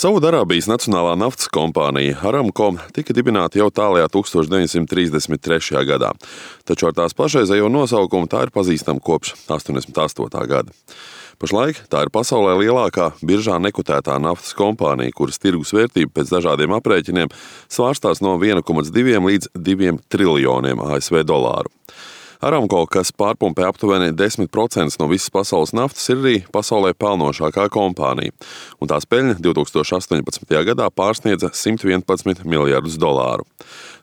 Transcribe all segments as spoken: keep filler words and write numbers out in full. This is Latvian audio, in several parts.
Saudarābijas Nacionālā naftas kompānija Aramco tika dibināta jau tālajā tūkstoš deviņsimt trīsdesmit trešajā gadā, taču ar tās pašreizējo nosaukumu tā ir pazīstama kopš astoņdesmit astotā gada. Pašlaik tā ir pasaulē lielākā biržā nekotētā naftas kompānija, kuras tirgus vērtība pēc dažādiem aprēķiniem svārstās no viena komats divi līdz diviem triljoniem A S V dolāru. Aramco, kas pārpumpē aptuveni desmit procentus no visas pasaules naftas, ir arī pasaulē pelnošākā kompānija, un tās peļņa divtūkstoš astoņpadsmitajā gadā pārsniedza simt vienpadsmit miljardus dolāru.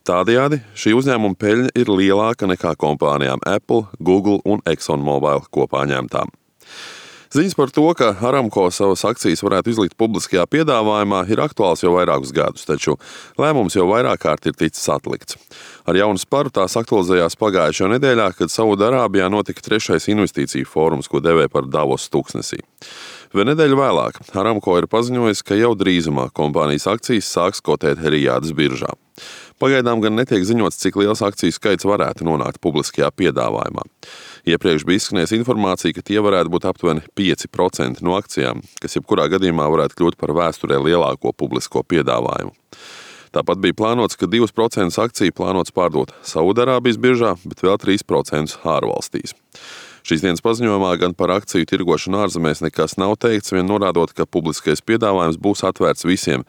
Tādējādi šī uzņēmuma peļņa ir lielāka nekā kompānijām Apple, Google un ExxonMobil kopā ņemtām. Ziņas par to, ka Aramco savas akcijas varētu izlikt publiskajā piedāvājumā, ir aktuāls jau vairākus gadus, taču lēmums jau vairāk kārt ir ticis atlikts. Ar jaunu sparu tās aktualizējās pagājušajā nedēļā, kad Saudarābijā notika trešais investīciju fórums, ko devē par Davos tuksnesī. Vēl nedēļu vēlāk Aramco ir paziņojis, ka jau drīzumā kompānijas akcijas sāks kotēt Rijādas biržā. Pagaidām gan netiek ziņots, cik liels akciju skaits varētu nonākt publiskajā piedāvājumā. Iepriekš bija izskanējusi informācija, ka tie varētu būt aptuveni pieci procenti no akcijām, kas jebkurā gadījumā varētu kļūt par vēsturē lielāko publisko piedāvājumu. Tāpat bija plānots, ka divus procentus akciju plānots pārdot Saudarābijas biržā, bet vēl trīs procentus ārvalstīs. Šīs dienas paziņojumā gan par akciju tirgošanu ārzemēs nekas nav teikts, vien norādot, ka publiskais piedāvājums būs atvērts visiem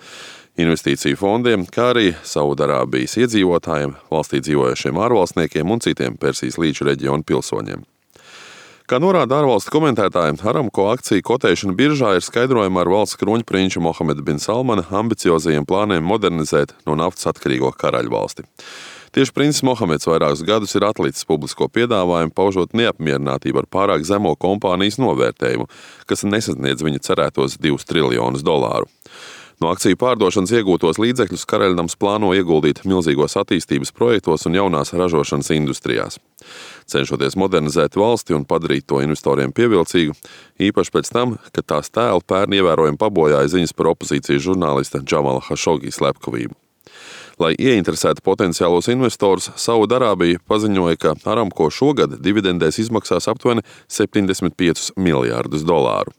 investīciju fondiem, kā arī Saudarābijas iedzīvotājiem, valstī dzīvojošiem ārvalstniekiem un citiem Persijas līča reģionu pilsoņiem. Kā norāda ārvalstu komentētāji, Aramco akciju kotēšana biržā ir skaidrojama ar valsts kroņprinča Mohameda bin Salmana ambiciozajiem plāniem modernizēt no naftas atkarīgo karaļvalsti. Tieši princis Mohameds vairākus gadus ir atlicis publisko piedāvājumu, paužot neapmierinātību ar pārāk zemo kompānijas novērtējumu, kas nesasniedz viņa cerētos divus triljonus dolāru. No akciju pārdošanas iegūtos līdzekļus Karaļnams plāno ieguldīt milzīgos attīstības projektos un jaunās ražošanas industrijās, cenšoties modernizēt valsti un padarīt to investoriem pievilcīgu, īpaši pēc tam, kad tās tēlu pērn ievērojami pabojāja ziņas par opozīcijas žurnālista Džamala Hašogī slepkavību. Lai ieinteresētu potenciālos investorus, Saudarābija paziņoja, ka Aramco šogad dividendēs izmaksās aptuveni septiņdesmit piecus miljārdus dolāru.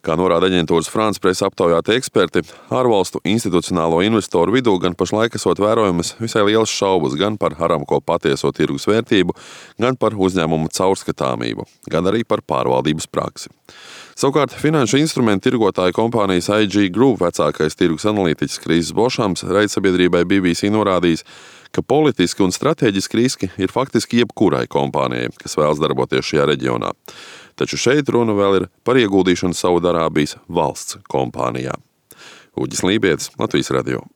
Kā norāda aģentūras France Press aptaujāti eksperti, ārvalstu institucionālo investoru vidū gan pašlaik esot vērojamas visai lielas šaubas gan par Aramco patieso tirgus vērtību, gan par uzņēmumu caurskatāmību, gan arī par pārvaldības praksi. Savukārt finanšu instrumentu tirgotāja kompānijas I G Group vecākais tirgus analītiķis Kris Bošams raidsabiedrībai B B C norādījis, ka politiski un strateģiski riski ir faktiski jebkurai kompānijai, kas vēlas darboties šajā reģionā. Taču šeit runa vēl ir par ieguldīšanu Saudarābijas valsts kompānijā. Uģis Lībietis, Latvijas radio.